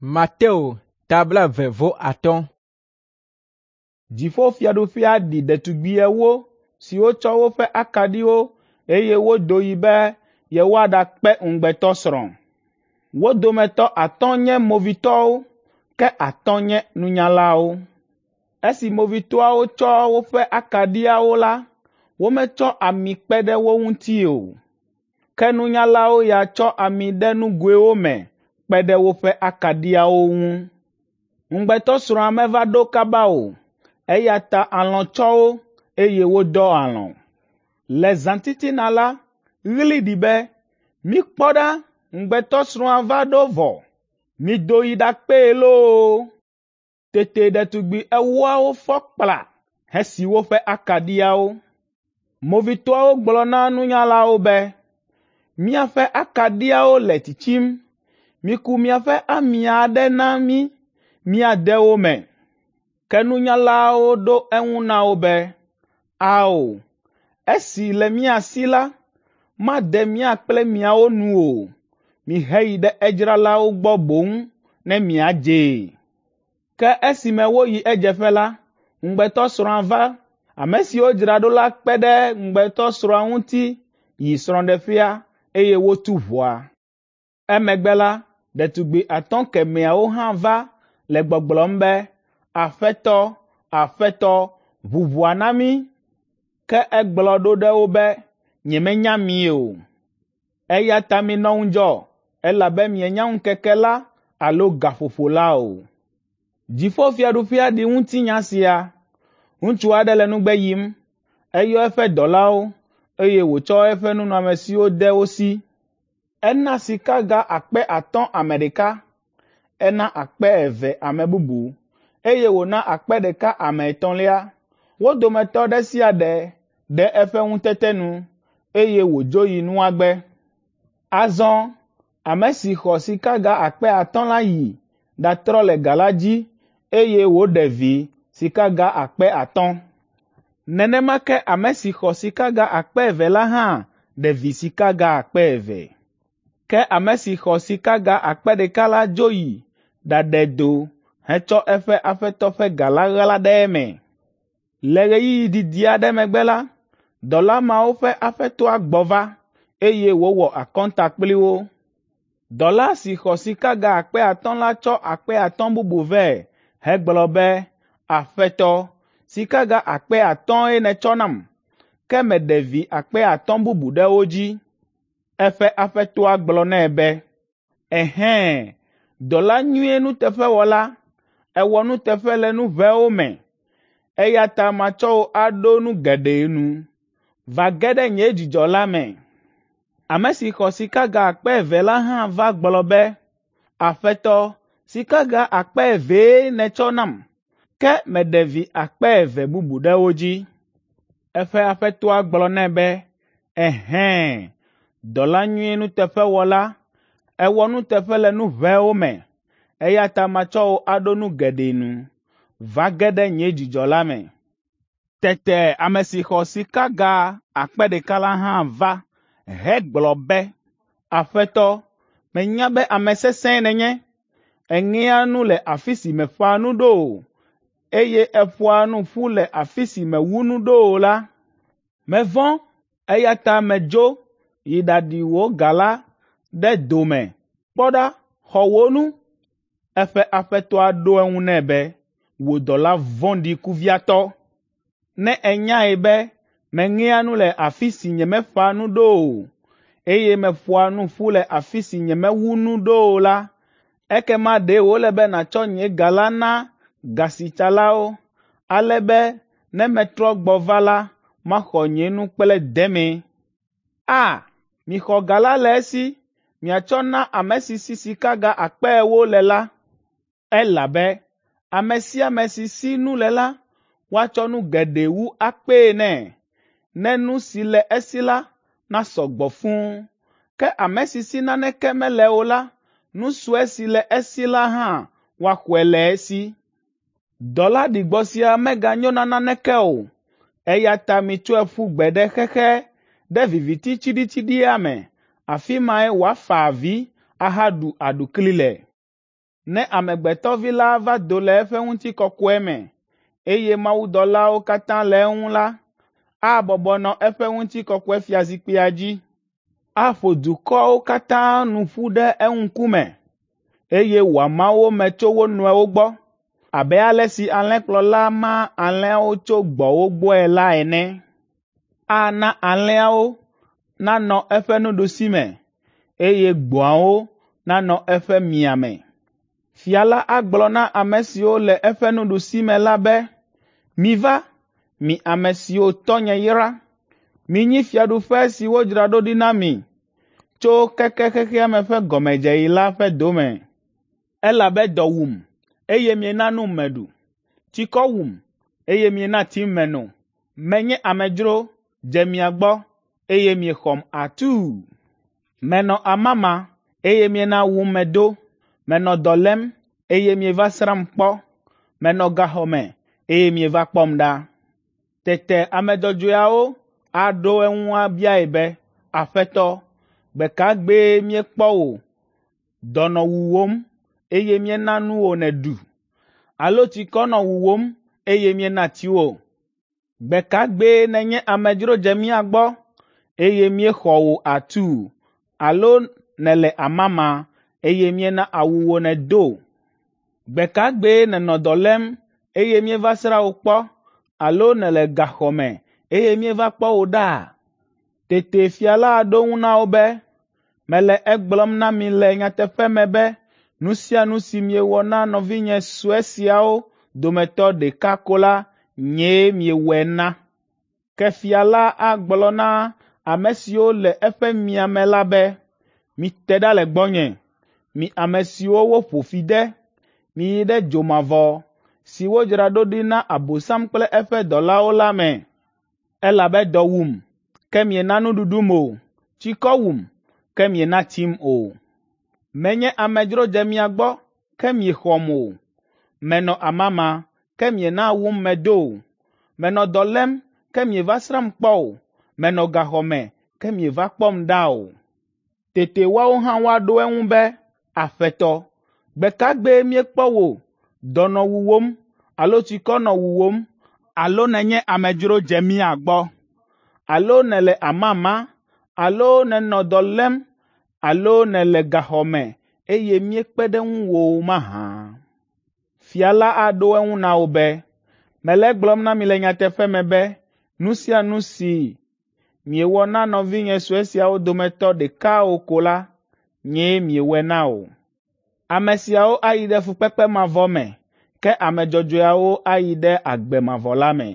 Mateo ta 25. Dziƒofiaɖuƒea ɖi ɖetugbi ewo siwo tsɔ woƒe akaɖiwo eye wodo yi be yewoaɖakpe ŋugbetɔsrɔ̃. Wo dometɔ atɔ̃ nye movitɔwo, ke atɔ̃ nye nunyalawo. Esi movitɔawo tsɔ woƒe akaɖiawo la, wometsɔ ami kpe ɖe wo ŋuti o. Ke nunyalawo ya tsɔ ami ɖe nugoewo me kpe ɖe woƒe akaɖiawo ŋu. Ŋugbetɔsrɔ̃a meva ɖo kaba o, eya ta alɔ̃ tsɔ wo, eye wodɔ alɔ̃. Le zãtitina la, ɣli ɖi be, ‘Mikpɔ ɖa, ŋugbetɔsrɔ̃a va ɖo vɔ! Mido yi ɖakpee loo!’ Tete ɖetugbi ewoawo fɔ kpla hesi woƒe akaɖiawo. Movitɔawo gblɔ na nunyalawo be, ‘Míaƒe akaɖiawo le tsitsim. Miku miaƒe ami aɖe na mí míade wo me.’ Ke nunyalawo ɖo eŋu na wo be, ‘Ao, esi le mía si la, made mía kple miawo nu o. Miheyi ɖe edzralawo gbɔ boŋ ne miadzee.’ Ke esime woyi edzeƒe la, ŋugbetɔsrɔ̃a va. Ame siwo dzra ɖo la kpe ɖe ŋugbetɔsrɔ̃a ŋuti yi srɔ̃ɖeƒea, eye wotu ʋɔa. Emegbe la, ɖetugbi atɔ̃ kemɛawo hã va le gbɔgblɔm be, ‘Aƒetɔ, Aƒetɔ, ʋu ʋɔa na mí.’ Ke egblɔ ɖo ɖe wo be, ‘Nyemenya mi o.’ Eya ta minɔ ŋudzɔ, elabe mienya ŋkeke la alo gaƒoƒo la o. Dziƒofiaɖuƒea ɖi ŋutinya sia. Ŋutsu aɖe le nugbe yim. Eyɔ eƒe dɔlawo, eye wòtsɔ eƒe nunɔamesiwo de wo si. Ena sikaga 5000 ame ɖeka, ena 2000 ame bubu, eye wòna 1000 ame etɔ̃lia. Wo dometɔ ɖe sia ɖe ɖe eƒe ŋutete nu, eye wòdzo yi nua gbe. Azɔ ame si xɔ sikaga 5000 la yi ɖatrɔ le ga la dzi, eye wòɖe vi sikaga 5000. Nenema ke ame si xɔ sikaga 2000 la hã ɖe vi sikaga 2000. Ke ame si xɔ sikaga 1000 la dzo yi ɖaɖe do hetsɔ eƒe aƒetɔ ƒe ga la ɣla ɖe eme. Le ɣeyiɣi didi aɖe megbe la, dɔla mawo ƒe aƒetɔa gbɔ va, eye wòwɔ akɔnta kpli wo. Dɔla si xɔ sikaga 5000 la tsɔ 5000 bubu vɛ hegblɔ be, ‘Aƒetɔ, sikaga 5000 nètsɔ nam, ke meɖe vi 5000 bubu ɖe wo dzi.’ Eƒe aƒetɔa gblɔ nɛ be, ‘Ɛhɛ̃, dɔla nyui nuteƒewɔla, èwɔ nuteƒe le nu ʋɛwo me, eya ta matsɔ wò aɖo nu geɖe nu. Va ge ɖe nye dzidzɔ la me.’ Ame si xɔ sikaga 2000 la hã va gblɔ be, ‘Aƒetɔ, sikaga 2000 nètsɔ nam, ke meɖe vi 2000 bubu ɖe wo dzi.’ Eƒe aƒetɔa gblɔ nɛ be, ‘Ɛhɛ̃, dɔla nyui nuteƒewɔla, èwɔ nuteƒe le nu ʋɛwo me, eya ta matsɔ wò aɖo nu geɖe nu. Va ge ɖe nye dzidzɔ la me.’ Tete ame si xɔ sikaga 1000 la hã va hegblɔ be, ‘Aƒetɔ, menya be ame sesẽe nènye. Èŋea nu le afi si mèƒã nu ɖo o, eye èƒoa nu ƒu le afi si mèwu nu ɖo o la. Mevɔ̃, eya ta medzo yi ɖaɖi wò ga la ɖe do me. Kpɔ ɖa, xɔ wò nu.’ Eƒe aƒetɔa ɖo eŋu nɛ be, ‘Wò dɔla vɔ̃ɖi kuviatɔ! Ne ènyae be meŋea nu le afi si nyemeƒã nu ɖo o, eye meƒoa nu ƒu le afi si nyemewu nu ɖo o la, ekema ɖe wòle be nàtsɔ nye ga la na gasitsalawo, ale be ne metrɔ gbɔ va la, maxɔ nye nu kple deme. A, mixɔ ga la le esi miatsɔ na ame si si sikaga 40,000 le la, elabe ame sia ame si si nu le la, woatsɔ nu geɖe wu akpee nɛ, ne nu si le esi la nasɔ gbɔ fũu. Ke ame si si naneke mele o la, nu sue si le esi la hã woaxɔe le esi. Dɔla ɖigbɔ sia meganyo na naneke o, eya ta mitsɔe ƒu gbe ɖe xexe ɖe viviti tsiɖitsiɖia me, afi mae wòafa avi ahaɖu aɖukli le.’ Ne Amegbetɔ Vi la va do le eƒe ŋutikɔkɔe me, eye mawudɔlawo katã le eŋu la, abɔbɔ nɔ eƒe ŋutikɔkɔefiazikpuia dzi. Aƒo dukɔwo katã nu ƒu ɖe eŋkume, eye wòama wo me tso wo nɔewo gbɔ abe ale si alẽkplɔla maa alẽawo tso gbɔ̃wo gbɔe la ene. Ana alẽawo nanɔ eƒe nuɖusime, eye gbɔ̃awo nanɔ eƒe miame. Fia la agblɔ na ame siwo le eƒe nuɖusime la be, ‘Miva, mi ame siwo tɔnye yra, minyi fiaɖuƒe si wodzra ɖo ɖi na mi tso keke xexea me ƒe gɔmedzeɣi la ƒe dome. Elabe dɔ wum, eye miena num meɖu, tsikɔ wum, eye miena tsim meno. Menye amedzro, dze mia gbɔ, eye miexɔm atuu. Menɔ amama, eye miena awum medo. Menɔ dɔ lém, eye mieva srãm kpɔ. Menɔ gaxɔ me, eye mieva kpɔm ɖa.’ Tete ame dzɔdzɔeawo aɖo eŋu abiae be, ‘Aƒetɔ, gbe ka gbee míekpɔ wò dɔ nɔ wuwòm, eye míena nu wò nèɖu, alo tsikɔ nɔ wuwòm, eye míena tsi wò? Gbe ka gbee nènye amedzro dze mía gbɔ, eye míexɔ wò atuu, alo nèle amama, eye míena awu wò nèdo? Gbe ka gbee nènɔ dɔ lém, eye míeva srã wò kpɔ, alo nèle gaxɔ me, eye míeva kpɔ wò ɖa?’ Tete fia la aɖo eŋu na wo be, ‘Mele egblɔm na mi le nyateƒe me be nu sia nu si miewɔ na nɔvinye sue siawo dometɔ ɖeka ko la, nyee miewɔe na.’ Ke fia la agblɔ na ame siwo le eƒe miame la be, ‘Mite ɖa le gbɔnye, mi ame siwo woƒo fi de, miyi ɖe dzomavɔ si wodzra ɖo ɖi na Abosam kple eƒe dɔlawo la me. Elabe dɔ wum, ke miena nuɖuɖum o, tsikɔ wum, ke miena tsim o. Menye amedzro dze mia gbɔ, ke miexɔm o. Menɔ amama, ke miena awum medo o. Menɔ dɔ lém, ke mieva srãm kpɔ o. Menɔ gaxɔ me, ke mieva kpɔm ɖa o.’ Tete woawo hã woaɖo eŋu be, ‘Aƒetɔ, gbe ka gbee míekpɔ wò dɔ nɔ wuwòm alo tsikɔ nɔ wuwòm alo nènye amedzro dze mía gbɔ, alo nèle amama, alo nènɔ dɔ lém, alo nèle gaxɔ me, eye míekpe ɖe ŋuwò o mahã?’ Fia la aɖo eŋu na wo be, ‘Mele egblɔm na mi le nyateƒe me be nu sia nu si miewɔ na nɔvinye sue siawo dometɔ ɖeka o ko la, nyee miewɔe na o.’ Ame siawo ayi ɖe fukpekpe mavɔ me, ke ame dzɔdzɔeawo ayi ɖe agbe mavɔ la me.”